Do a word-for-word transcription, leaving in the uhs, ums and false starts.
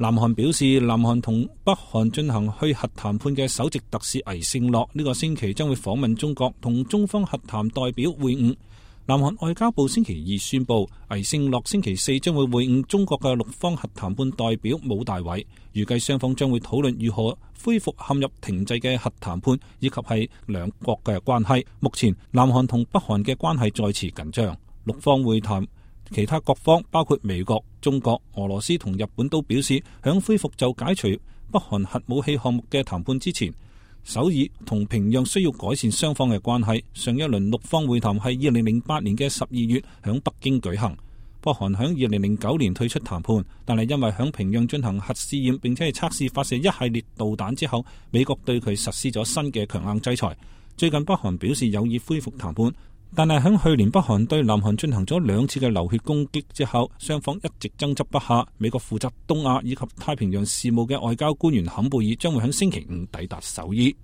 南韓表示，南韓同北韓進行去核談判嘅首席特使魏勝洛呢個星期將會訪問中國，同中方核談代表會晤。南韓外交部星期二宣布，魏勝洛星期四將會會晤中國嘅陸方核談判代表武大偉，預計雙方將會討論如何恢復陷入停滯嘅核談判，以及係兩國嘅關係。目前南韓同北韓嘅關係再次緊張，陸方會談。其他各方包括美國、中國、俄羅斯同日本都表示，響恢復就解除北韓核武器項目嘅談判之前，首爾同平壤需要改善雙方嘅關係。上一輪陸方會談係二零零八年嘅十二月響北京舉行。北韓響二零零九年退出談判，但係因為響平壤進行核試驗並且係測試發射一系列導彈之後，美國對佢實施咗新嘅強硬制裁。最近北韓表示有意恢復談判。但係喺去年北韓對南韓進行咗兩次嘅流血攻擊之後，雙方一直爭執不下。美國負責東亞以及太平洋事務嘅外交官員坎貝爾將會喺星期五抵達首爾。